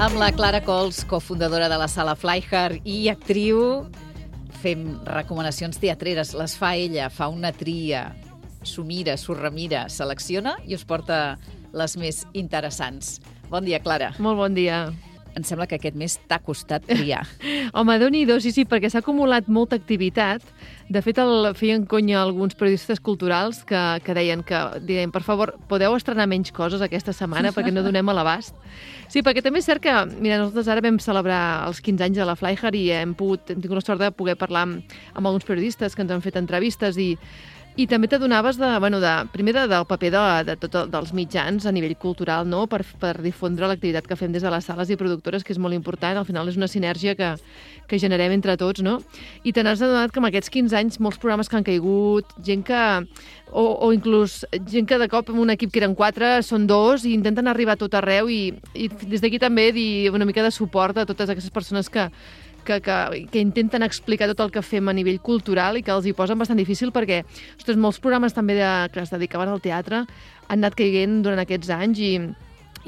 Amb la Clara Cols, cofundadora de la Sala Flyhard i actriu, fem recomanacions teatreres. Les fa ella, fa una tria, s'ho mira, s'ho remira, selecciona i us porta les més interessants. Bon dia, Clara. Molt bon dia. Em sembla que aquest mes t'ha costat triar. Home, Déu-n'hi-do, sí, perquè s'ha acumulat molta activitat. De fet, feien conya alguns periodistes culturals que deien, per favor, podeu estrenar menys coses aquesta setmana perquè no donem a l'abast. Sí, perquè també és cert que, mira, nosaltres ara vam celebrar els 15 anys de la Flyhard i hem tingut la sort de poder parlar amb alguns periodistes que ens han fet entrevistes i també t'adonaves primer del paper dels mitjans a nivell cultural, no? per difondre l'activitat que fem des de les sales i productores, que és molt important. Al final és una sinergia que generem entre tots, no? I te n'has adonat que en aquests 15 anys molts programes que han caigut, gent que... O inclús gent que de cop en un equip que eren 4 són 2 i intenten arribar a tot arreu i des d'aquí també dir una mica de suport a totes aquestes persones que intenten explicar tot el que fem a nivell cultural i que els hi posen bastant difícil perquè, ostres, molts programes també que es dedicaven al teatre han anat caient durant aquests anys i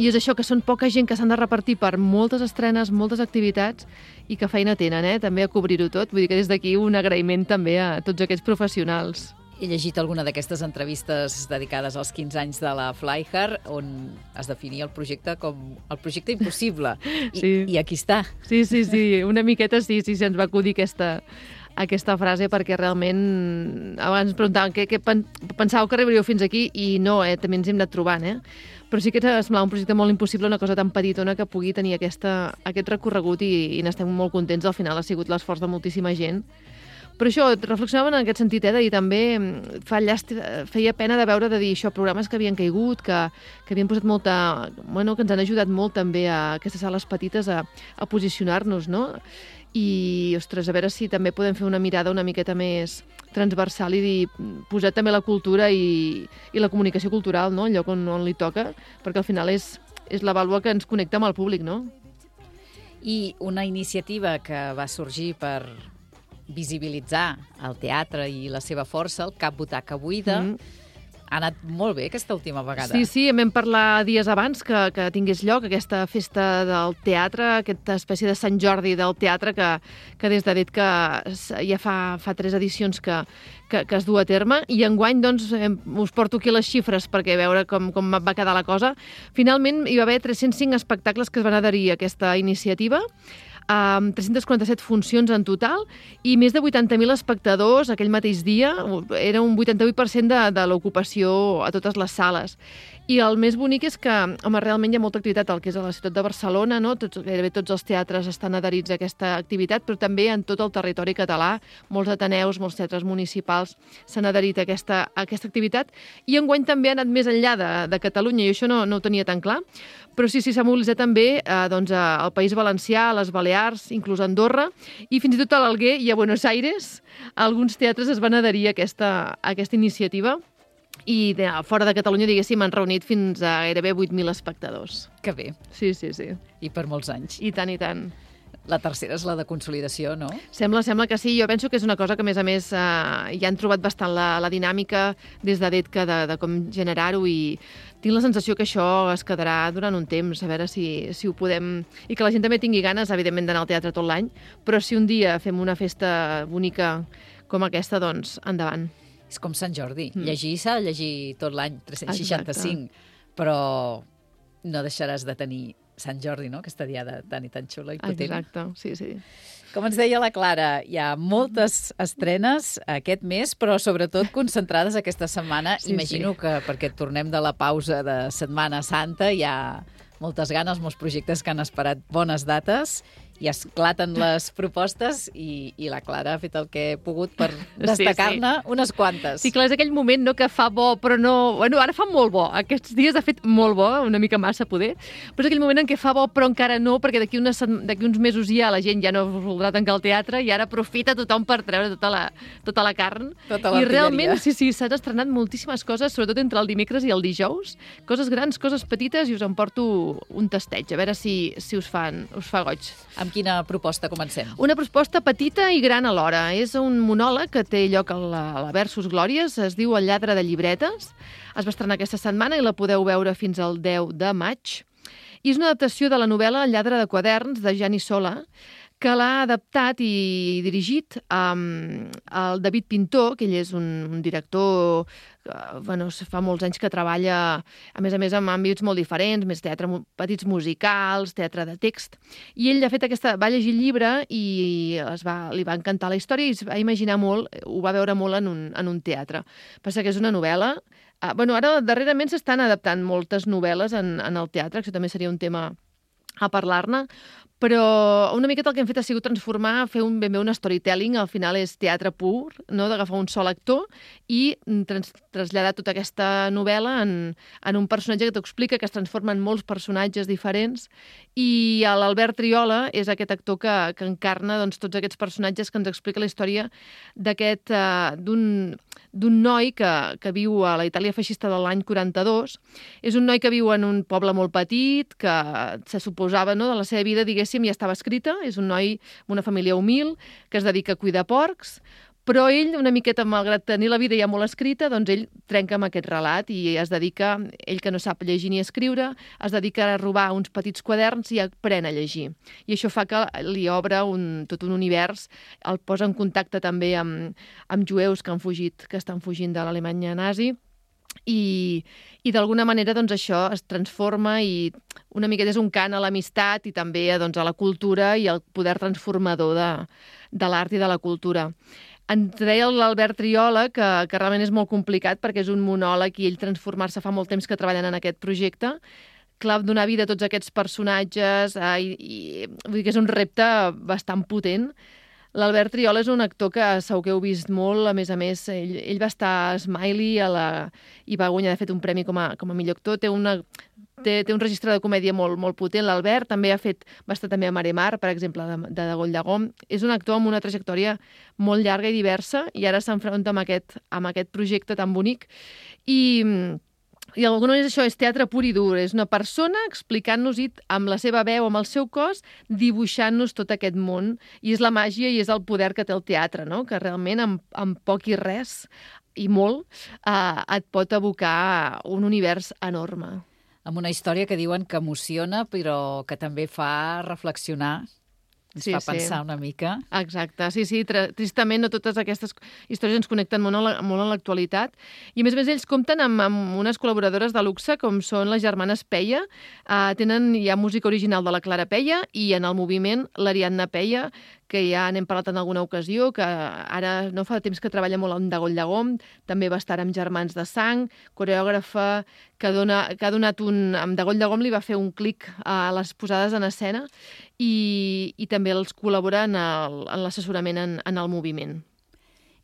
és això, que són poca gent que s'han de repartir per moltes estrenes, moltes activitats i que feina tenen, també a cobrir-ho tot. Vull dir que des d'aquí un agraïment també a tots aquests professionals. He llegit alguna d'aquestes entrevistes dedicades als 15 anys de la Flyhard on es definia el projecte com el projecte impossible. I aquí està. Sí, una miqueta sí, se'ns va acudir aquesta frase perquè realment abans preguntaven què pensàveu que arribaríeu fins aquí i no, també ens hem anat trobant, Però sí que ens semblava un projecte molt impossible, una cosa tan petitona que pugui tenir aquest recorregut i n'estem molt contents. Al final ha sigut l'esforç de moltíssima gent. Però això, reflexionaven en aquest sentit, de dir també feia pena de veure, de dir això, programes que havien caigut, que havien posat molta... que ens han ajudat molt també a aquestes sales petites a posicionar-nos, no? I, ostres, a veure si també podem fer una mirada una miqueta més transversal i dir, posar també la cultura i la comunicació cultural, no? El lloc on li toca, perquè al final és la vàlua que ens connecta amb el públic, no? I una iniciativa que va sorgir per visibilitzar el teatre i la seva força, el Cap Butaca Buida, ha anat molt bé aquesta última vegada. Sí, vam parlar dies abans que tingués lloc aquesta festa del teatre, aquesta espècie de Sant Jordi del teatre que des de que ja fa 3 edicions que es du a terme, i enguany doncs, us porto aquí les xifres perquè veure com va quedar la cosa. Finalment hi va haver 305 espectacles que es van adherir a aquesta iniciativa, 347 funcions en total i més de 80.000 espectadors aquell mateix dia. Era un 88% de l'ocupació a totes les sales. I el més bonic és que, home, realment hi ha molta activitat al que és a la ciutat de Barcelona, no? Gairebé tots els teatres estan adherits a aquesta activitat, però també en tot el territori català, molts ateneus, molts teatres municipals s'han adherit a aquesta activitat, i enguany també ha anat més enllà de Catalunya, i això no ho tenia tan clar, però sí, s'ha mobilitzat també al País Valencià, a les Balears, inclús a Andorra, i fins i tot a l'Alguer i a Buenos Aires alguns teatres es van adherir a aquesta iniciativa. I fora de Catalunya, diguéssim, han reunit fins a gairebé 8.000 espectadors. Que bé. Sí. I per molts anys. I tant. La tercera és la de consolidació, no? Sembla que sí. Jo penso que és una cosa que, a més, ja han trobat bastant la dinàmica des de DETCA de com generar-ho, i tinc la sensació que això es quedarà durant un temps, a veure si ho podem... I que la gent també tingui ganes, evidentment, d'anar al teatre tot l'any, però si un dia fem una festa bonica com aquesta, doncs endavant. És com Sant Jordi. Llegir s'ha de llegir tot l'any, 365, però no deixaràs de tenir Sant Jordi, no? Aquesta diada tan i tan xula i potent. Exacte, sí. Com ens deia la Clara, hi ha moltes estrenes aquest mes, però sobretot concentrades aquesta setmana. Imagino que perquè tornem de la pausa de Setmana Santa hi ha moltes ganes, molts projectes que han esperat bones dates i esclaten les propostes i la Clara ha fet el que ha pogut per destacar-ne unes quantes. Sí, clar, és aquell moment, no?, que fa bo, però no... Bueno, ara fa molt bo. Aquests dies ha fet molt bo, una mica massa poder, però és aquell moment en què fa bo, però encara no, perquè d'aquí uns mesos ja la gent ja no voldrà tancar el teatre i ara aprofita tothom per treure tota la carn. Tota l'artilleria. I realment, sí, s'han estrenat moltíssimes coses, sobretot entre el dimecres i el dijous. Coses grans, coses petites, i us en porto un tasteig, a veure si us fa goig. Amb quina proposta comencem? Una proposta petita i gran alhora. És un monòleg que té lloc a la Versus Glòries, es diu El lladre de llibretes. Es va estrenar aquesta setmana i la podeu veure fins al 10 de maig. i és una adaptació de la novel·la El lladre de quaderns, de Gianni Sola, que l'ha adaptat i dirigit el David Pintor, que ell és un director que fa molts anys que treballa, a més, amb àmbits molt diferents, més teatre, petits musicals, teatre de text. I ell, de fet, va llegir el llibre i li va encantar la història i es va imaginar molt, ho va veure molt en un teatre. Passa que és una novel·la. Ara, darrerament, s'estan adaptant moltes novel·les en el teatre, que això també seria un tema a parlar-ne, però una miqueta el que hem fet ha sigut transformar, fer ben bé un storytelling, al final és teatre pur, no? D'agafar un sol actor i traslladar tota aquesta novel·la en un personatge que t'explica, que es transforma en molts personatges diferents, i l'Albert Triola és aquest actor que encarna tots aquests personatges, que ens explica la història d'un noi que viu a la Itàlia feixista de l'any 42. És un noi que viu en un poble molt petit, que se suposava, no, de la seva vida, diguéssim, ja estava escrita. És un noi amb una família humil que es dedica a cuidar porcs, però ell, una miqueta, malgrat tenir la vida ja molt escrita, doncs ell trenca amb aquest relat i es dedica, ell que no sap llegir ni escriure, es dedica a robar uns petits quaderns i aprèn a llegir. I això fa que li obre tot un univers, el posa en contacte també amb jueus que estan fugint de l'Alemanya nazi, i d'alguna manera doncs, això es transforma i una miqueta és un cant a l'amistat i també a la cultura i al poder transformador de l'art i de la cultura. Ens deia l'Albert Triola que realment és molt complicat perquè és un monòleg i ell transformar-se fa molt temps que treballen en aquest projecte. Clar, donar vida a tots aquests personatges vull dir que és un repte bastant potent. L'Albert Triola és un actor que segur que heu vist molt, a més, ell va estar a Smiley i va guanyar, de fet, un premi com a millor actor. Té un registre de comèdia molt, molt potent. L'Albert també va estar també a Mare Mar, per exemple, de Goll de Gom. És un actor amb una trajectòria molt llarga i diversa i ara s'enfronta amb aquest projecte tan bonic. I d'alguna manera això és teatre pur i dur. És una persona explicant-nos amb la seva veu, amb el seu cos, dibuixant-nos tot aquest món. I és la màgia i és el poder que té el teatre, no? Que realment amb poc i res, i molt, et pot abocar un univers enorme. Amb una història que diuen que emociona, però que també fa reflexionar. Ens fa pensar una mica. Exacte, sí, tristament no totes aquestes històries ens connecten molt a l'actualitat. I a més ells compten amb unes col·laboradores de luxe com són les germanes Peia. Hi ha música original de la Clara Peia i en el moviment l'Ariadna Peia, que ja n'hem parlat en alguna ocasió, que ara no fa temps que treballa molt amb Goll de Gom, també va estar amb Germans de Sang, coreògrafa que ha donat amb Goll de Gom li va fer un clic a les posades en escena i també els col·labora en l'assessorament en el moviment.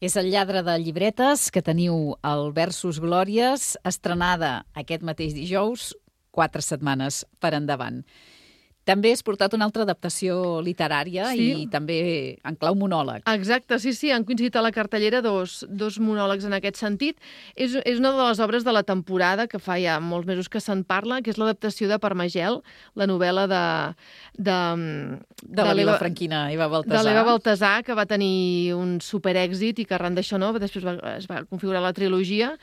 És El lladre de llibretes, que teniu al Versus Glòries, estrenada aquest mateix dijous, 4 setmanes per endavant. També has portat una altra adaptació literària i també en clau monòleg. Exacte, sí, han coincidit a la cartellera dos monòlegs en aquest sentit. És una de les obres de la temporada, que fa ja molts mesos que se'n parla, que és l'adaptació de Parmagel, la novel·la de la Vila Franquina, Eva Baltasar. De l'Eva Baltasar, que va tenir un superèxit i que arran d'això després es va configurar la trilogia.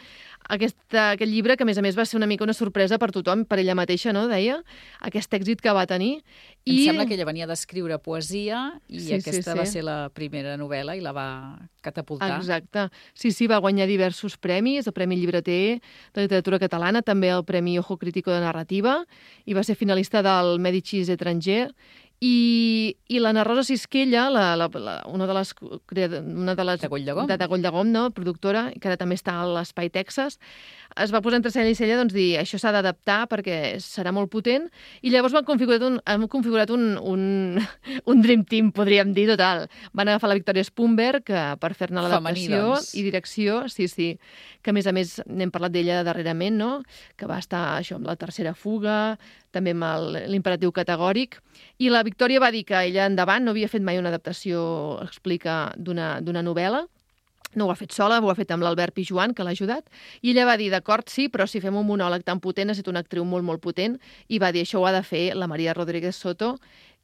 Aquest llibre, que a més va ser una mica una sorpresa per tothom, per ella mateixa, no? Deia, aquest èxit que va tenir. Em sembla que ella venia d'escriure poesia i aquesta va ser la primera novel·la i la va catapultar. Exacte. Sí, va guanyar diversos premis, el Premi Llibreter de Literatura Catalana, també el Premi Ojo Crítico de Narrativa, i va ser finalista del Medicis Étranger. I l'Anna Rosa Sisquella, una de les de Goll de Gom, de Goll de Gom, no? Productora, que ara també està a l'Espai Texas, es va posar entre cella i cella dir això s'ha d'adaptar perquè serà molt potent, i llavors han configurat un dream team, podríem dir, total. Van agafar la Victòria Spunberg per fer-ne l'adaptació i direcció, sí, que a més n'hem parlat d'ella darrerament, no? Que va estar això amb La tercera fuga, també amb l'Imperatiu categòric, i la Victòria va dir que ella endavant no havia fet mai una adaptació, explica, d'una novel·la. No ho ha fet sola, ho ha fet amb l'Albert Pijuan, que l'ha ajudat, i ella va dir, d'acord, sí, però si fem un monòleg tan potent, ha estat una actriu molt, molt potent, i va dir, això ho ha de fer la Maria Rodríguez Soto,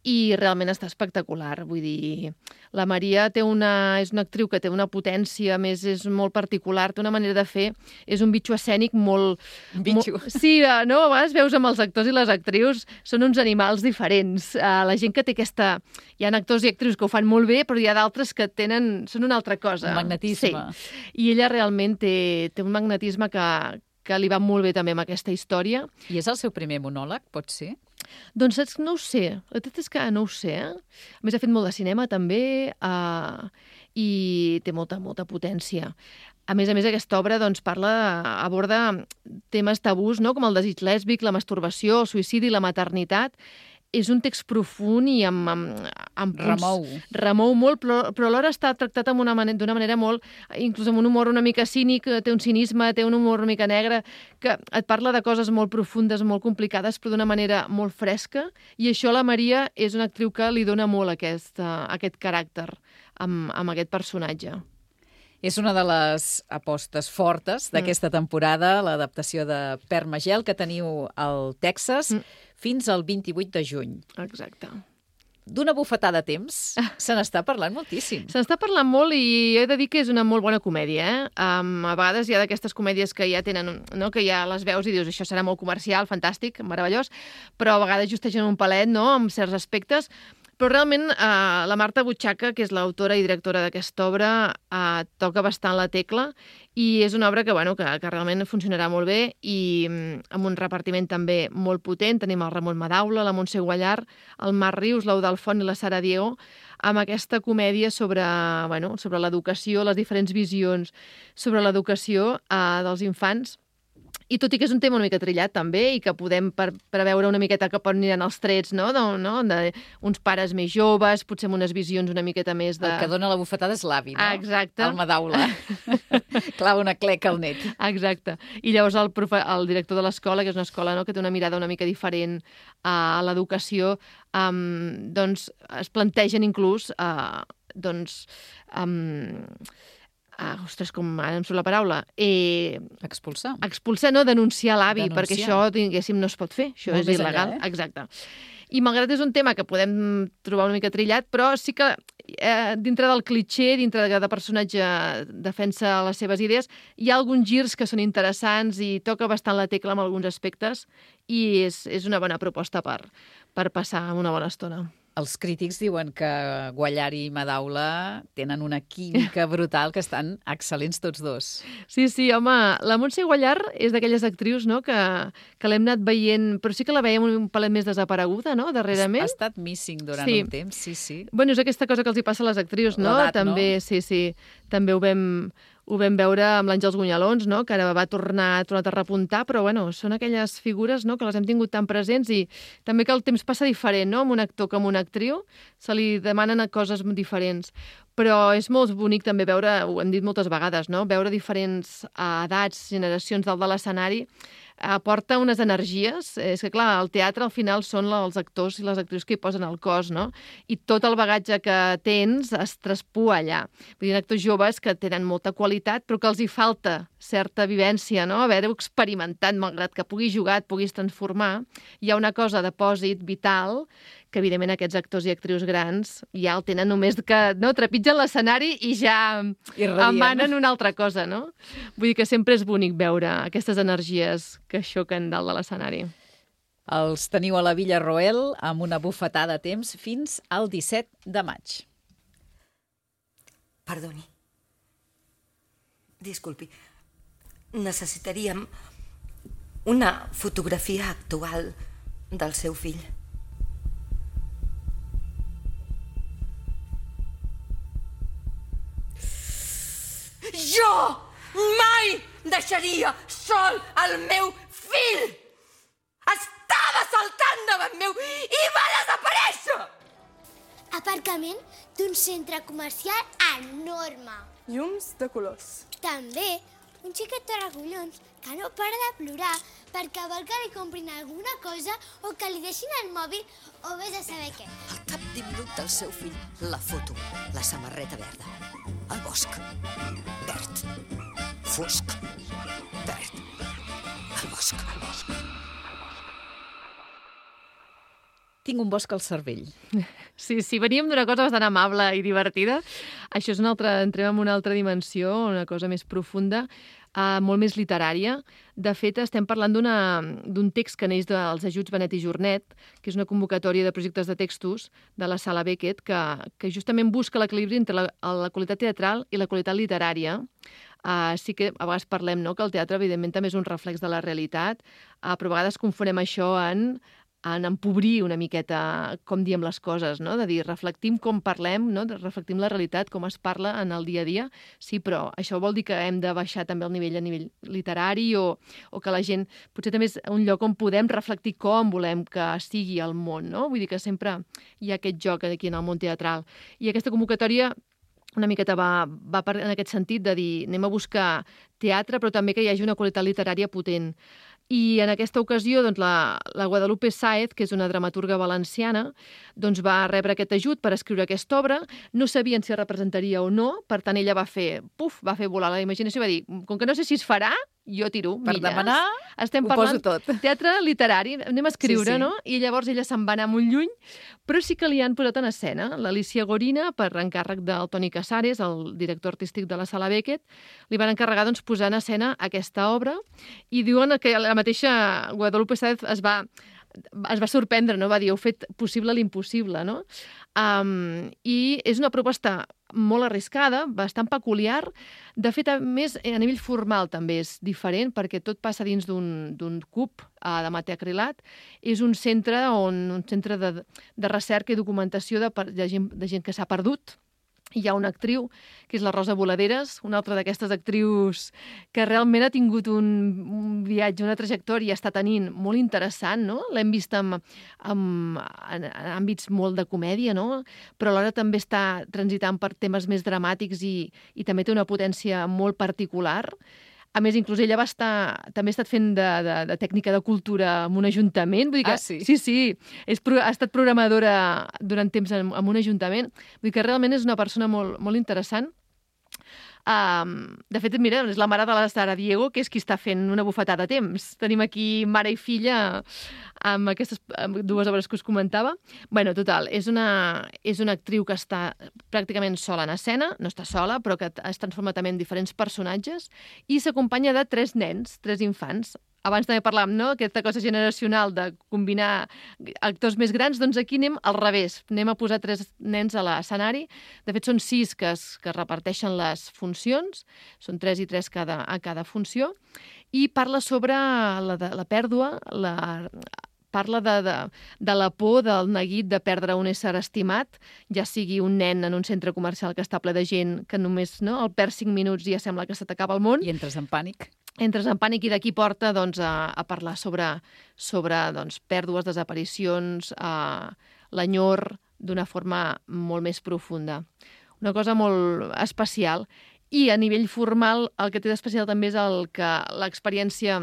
i realment està espectacular. Vull dir, la Maria és una actriu que té una potència, a més és molt particular, té una manera de fer, és un bitxo escènic molt... Bitxo. Sí, no? A vegades veus amb els actors i les actrius, són uns animals diferents. La gent que té aquesta... Hi ha actors i actrius que ho fan molt bé, però hi ha d'altres que són una altra cosa. Un magnetisme. Sí. I ella realment té un magnetisme que li va molt bé també amb aquesta història. I és el seu primer monòleg, pot ser? Doncs saps, no ho sé. La veritat és que no ho sé. A més, ha fet molt de cinema també i té molta potència. A més, aquesta obra doncs, aborda temes tabús, no? Com el desig lèsbic, la masturbació, el suïcidi, la maternitat. És un text profund i amb punts... Remou molt, però alhora està tractat d'una manera molt... Inclús amb un humor una mica cínic, té un cinisme, té un humor una mica negre, que et parla de coses molt profundes, molt complicades, però d'una manera molt fresca. I això la Maria és una actriu que li dona molt aquest caràcter amb aquest personatge. És una de les apostes fortes d'aquesta temporada, l'adaptació de Pere Magel, que teniu al Texas fins al 28 de juny. Exacte. D'una bufetada de temps, se n'està parlant moltíssim. Se n'està parlant molt i he de dir que és una molt bona comèdia. A vegades hi ha d'aquestes comèdies que ja tenen, no? Que ja les veus i dius això serà molt comercial, fantàstic, meravellós, però a vegades justegen un palet, no?, amb certs aspectes. Però realment la Marta Butxaca, que és l'autora i directora d'aquesta obra, toca bastant la tecla i és una obra que realment funcionarà molt bé i amb un repartiment també molt potent. Tenim el Ramon Madaula, la Montse Guallar, el Marc Rius, l'Eudald Font i la Sara Diego, amb aquesta comèdia sobre l'educació, les diferents visions sobre l'educació dels infants. I tot i que és un tema una mica trillat també i que podem preveure una miqueta cap on aniran els trets, no? D'uns pares més joves, potser amb unes visions una miqueta més de... El que dona la bufetada és l'avi, no? Exacte. El Madaula. Clava una cleca al net. Exacte. I llavors el director de l'escola, que és una escola, no?, que té una mirada una mica diferent a l'educació, doncs es plantegen inclús ostres, com ara em surt la paraula. Expulsar. Expulsar, no? Denunciar l'avi, perquè això, diguéssim, no es pot fer. Això és il·legal. Exacte. I malgrat és un tema que podem trobar una mica trillat, però sí que dintre del clitxé, dintre de cada personatge defensa les seves idees, hi ha alguns girs que són interessants i toca bastant la tecla en alguns aspectes i és una bona proposta per passar una bona estona. Els crítics diuen que Guallar i Madaula tenen una química brutal, que estan excel·lents tots dos. Sí, home, la Montse Guallar és d'aquelles actrius, no?, que l'hem anat veient, però sí que la veiem un palet més desapareguda, no?, darrerament. Ha estat missing durant un temps, sí. Bueno, és aquesta cosa que els hi passa a les actrius, no? L'edat, també, no? Sí. També ho vam veure amb l'Àngels Gunyalons, no?, que ara ha tornat a repuntar, però són aquelles figures, no?, que les hem tingut tan presents i també que el temps passa diferent, no?, amb un actor que amb una actriu, se li demanen coses diferents. Però és molt bonic també veure, ho hem dit moltes vegades, no?, veure diferents edats, generacions dalt de l'escenari, aporta unes energies. És que, clar, el teatre al final són els actors i les actrius que hi posen el cos, no? I tot el bagatge que tens es traspua allà. Vull dir, actors joves que tenen molta qualitat, però que els hi falta certa vivència, no? Haver-ho experimentat, malgrat que puguis jugar, et puguis transformar. Hi ha una cosa de pòsit vital que, evidentment, aquests actors i actrius grans ja el tenen només que trepitgen l'escenari i ja emanen una altra cosa, no? Vull dir que sempre és bonic veure aquestes energies que xoquen dalt de l'escenari. Els teniu a la Villa Roel amb una bufetada de temps fins al 17 de maig. Perdoni. Disculpi. Necessitaríem una fotografia actual del seu fill. Jo mai deixaria sol el meu fill! Estava saltant davant meu i va desaparèixer! Aparcament d'un centre comercial enorme. Llums de colors. També un xiquet torracollons que no para de plorar perquè vol que li comprin alguna cosa o que li deixin el mòbil o vés a saber què. Al cap d'1 minut del seu fill, la foto, la samarreta verda, el bosc, verd, fosc, verd, el bosc. Tinc un bosc al cervell. Sí, veníem d'una cosa bastant amable i divertida. Això és entrem en una altra dimensió, una cosa més profunda, molt més literària. De fet, estem parlant d'un text que neix dels ajuts Benet i Jornet, que és una convocatòria de projectes de textos de la Sala Beckett, que justament busca l'equilibri entre la qualitat teatral i la qualitat literària. Sí que a vegades parlem, no?, que el teatre, evidentment, també és un reflex de la realitat, però a vegades confonem això en empobrir una miqueta com diem les coses, no? De dir, reflectim com parlem, no? Reflectim la realitat, com es parla en el dia a dia. Sí, però això vol dir que hem de baixar també el nivell a nivell literari o que la gent... Potser també és un lloc on podem reflectir com volem que sigui el món, no? Vull dir que sempre hi ha aquest joc aquí en el món teatral. I aquesta convocatòria una miqueta va en aquest sentit de dir anem a buscar teatre, però també que hi hagi una qualitat literària potent. I en aquesta ocasió doncs, la Guadalupe Sáez, que és una dramaturga valenciana, doncs, va rebre aquest ajut per escriure aquesta obra. No sabien si es representaria o no, per tant ella va fer volar la imaginació i va dir, com que no sé si es farà, jo tiro Per milles. demanar, estem ho parlant poso tot. Teatre literari, anem a escriure, Sí. no? I llavors ella se'n va anar molt lluny, però sí que li han posat en escena. L'Alicia Gorina, per encàrrec del Toni Casares, el director artístic de la Sala Beckett, li van encarregar doncs, posar en escena aquesta obra i diuen que la mateixa Guadalupe Sáez es va sorprendre, no? Va dir, heu fet possible l'impossible, no? I és una proposta molt arriscada, bastant peculiar. De fet, a més, a nivell formal també és diferent, perquè tot passa dins d'un cub de matacrilat. És un centre de recerca i documentació de gent que s'ha perdut. Hi ha una actriu, que és la Rosa Voladeres, una altra d'aquestes actrius que realment ha tingut un viatge, una trajectòria, està tenint molt interessant, no? L'hem vist en àmbits molt de comèdia, no? Però alhora també està transitant per temes més dramàtics i també té una potència molt particular. A més, inclús ella també ha estat fent de tècnica de cultura en un ajuntament. Vull dir que, sí. Ha estat programadora durant temps en un ajuntament. Vull dir que realment és una persona molt, molt interessant. De fet, mira, és la mare de la Sara Diego, que és qui està fent una bufetada a temps. Tenim aquí mare i filla amb aquestes dues obres que us comentava. Bueno, total, és una actriu que està pràcticament sola en escena, no està sola, però que es transforma també en diferents personatges, i s'acompanya de 3 nens, 3 infants. Abans també parlàvem, no?, aquesta cosa generacional de combinar actors més grans, doncs aquí anem al revés. Anem a posar 3 nens a l'escenari. De fet, són 6 que es reparteixen les funcions, són 3 i 3 a cada funció, i parla sobre la pèrdua, parla de la por, del neguit de perdre un ésser estimat, ja sigui un nen en un centre comercial que està ple de gent que només el perd 5 minuts i ja sembla que se t'acaba el món. I entres en pànic. Entres en pànic i d'aquí porta a parlar sobre pèrdues, desaparicions, l'enyor d'una forma molt més profunda. Una cosa molt especial. I a nivell formal el que té d'especial també és l'experiència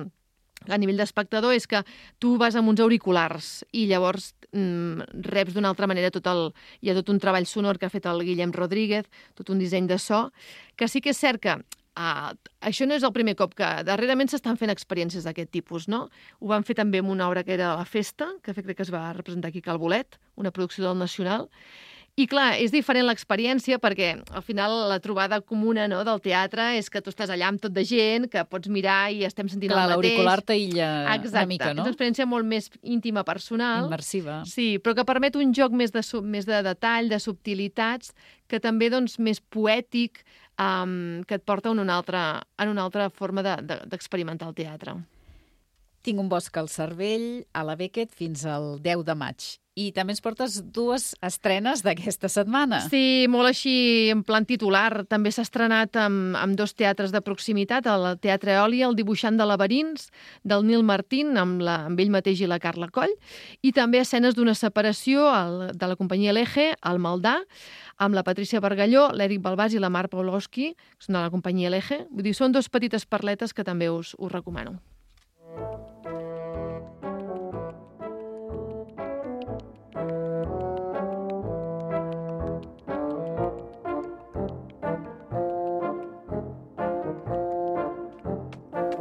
a nivell d'espectador és que tu vas amb uns auriculars i llavors reps d'una altra manera hi ha tot un treball sonor que ha fet el Guillem Rodríguez, tot un disseny de so, que sí que és cert que això no és el primer cop que darrerament s'estan fent experiències d'aquest tipus, no? Ho van fer també amb una obra que era La Festa, que crec que es va representar aquí a Cal Bolet, una producció del Nacional. I clar, és diferent l'experiència perquè al final la trobada comuna, no, del teatre és que tu estàs allà amb tot de gent, que pots mirar i estem sentint el mateix. L'auricular t'aïlla una mica, no? És una experiència molt més íntima, personal. Immersiva. Sí, però que permet un joc més de detall, de subtilitats, que també doncs, més poètic, que et porta en una altra forma d'experimentar el teatre. Tinc un bosc al cervell, a la Beckett, fins al 10 de maig. I també ens portes 2 estrenes d'aquesta setmana. Sí, molt així en plan titular. També s'ha estrenat amb 2 teatres de proximitat, el Teatre Eòlia, El dibuixant de laberints, del Nil Martín, amb ell mateix i la Carla Coll, i també escenes d'una separació de la companyia L'Eje, al Maldà, amb la Patrícia Bargalló, l'Eric Balbàs i la Mar Pawlowski, que són de la companyia L'Eje. Vull dir, són 2 petites perletes que també us recomano.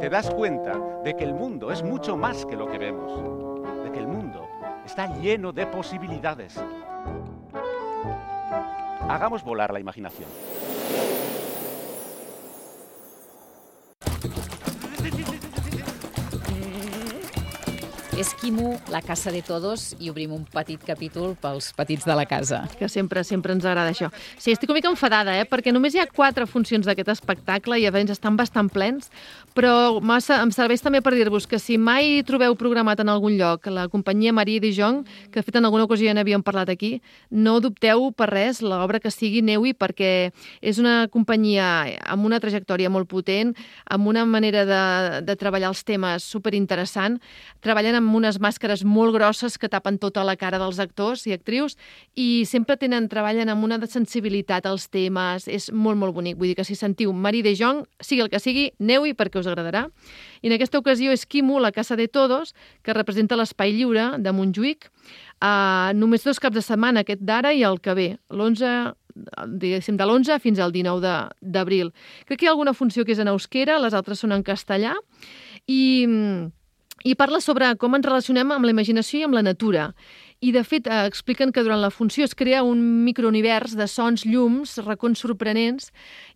Te das cuenta de que el mundo es mucho más que lo que vemos, de que el mundo está lleno de posibilidades. Hagamos volar la imaginación. Esquimo, la casa de todos, i obrim un petit capítol pels petits de la casa. Que sempre ens agrada això. Sí, estic una mica enfadada, perquè només hi ha 4 funcions d'aquest espectacle i a vegades estan bastant plens, però em serveix també per dir-vos que si mai trobeu programat en algun lloc la companyia Marie de Jong, que de fet en alguna ocasió ja n'havíem parlat aquí, no dubteu per res l'obra que sigui, aneu-hi, perquè és una companyia amb una trajectòria molt potent, amb una manera de treballar els temes superinteressant, treballen amb unes màscares molt grosses que tapen tota la cara dels actors i actrius i sempre treballen amb una sensibilitat als temes, és molt, molt bonic. Vull dir que si sentiu Marie de Jong, sigui el que sigui, aneu-hi perquè us agradarà. I en aquesta ocasió Esquimo, la casa de todos, que representa l'Espai Lliure de Montjuïc, només 2 caps de setmana, aquest d'ara i el que ve, diguéssim, de l'11 fins al 19 d'abril. Crec que hi ha alguna funció que és en euskera, les altres són en castellà, i parla sobre com ens relacionem amb la imaginació i amb la natura. I, de fet, expliquen que durant la funció es crea un microunivers de sons, llums, racons sorprenents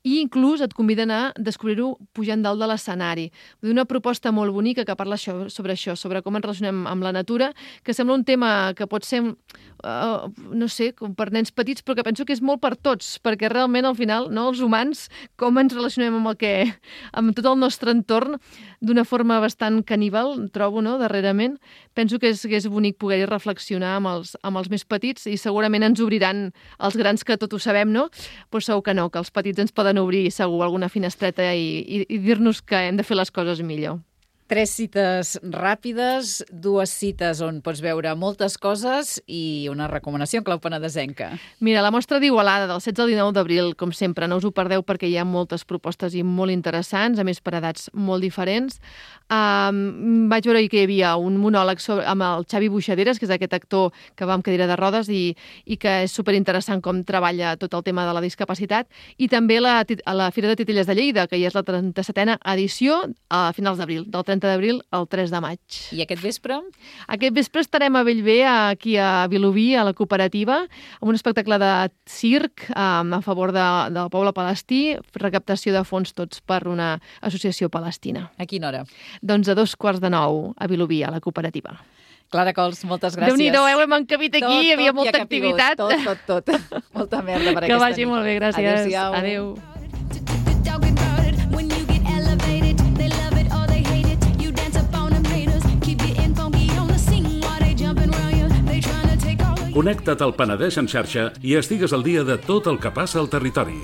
i inclús et conviden a descobrir-ho pujant dalt de l'escenari. Una proposta molt bonica que parla sobre això, sobre com ens relacionem amb la natura, que sembla un tema que pot ser, no sé, com per nens petits, però que penso que és molt per tots, perquè realment, al final, no, els humans, com ens relacionem amb tot el nostre entorn d'una forma bastant caníbal, trobo, no, darrerament. Penso que és bonic poder reflexionar amb els més petits i segurament ens obriran els grans que tot ho sabem, no? Però segur que no, que els petits ens poden obrir segur alguna finestreta i dir-nos que hem de fer les coses millor. 3 cites ràpides, 2 cites on pots veure moltes coses i una recomanació en clau penedesenca. Mira, la mostra d'Igualada del 16 al 19 d'abril, com sempre, no us ho perdeu perquè hi ha moltes propostes i molt interessants, a més per edats molt diferents. Vaig veure que hi havia un monòleg amb el Xavi Buixaderes, que és aquest actor que va amb cadira de rodes i que és superinteressant com treballa tot el tema de la discapacitat, i també a la Fira de Titelles de Lleida, que ja és la 37a edició a finals d'abril, del 30 d'abril al 3 de maig. I aquest vespre? Aquest vespre estarem a Bellver, aquí a Vilobí, a la cooperativa, amb un espectacle de circ a favor del poble palestí, recaptació de fons tots per una associació palestina. A quina hora? Doncs a 8:45 a Vilobí, a la cooperativa. Clara Cols, moltes gràcies. Déu-n'hi-do, hem encabit aquí, hi havia molta activitat. Tot. Molta merda per aquesta nit. Que vagi molt bé, gràcies. Adéu-siau. Adéu. Connecta't al Penedès en xarxa i estigues al dia de tot el que passa al territori.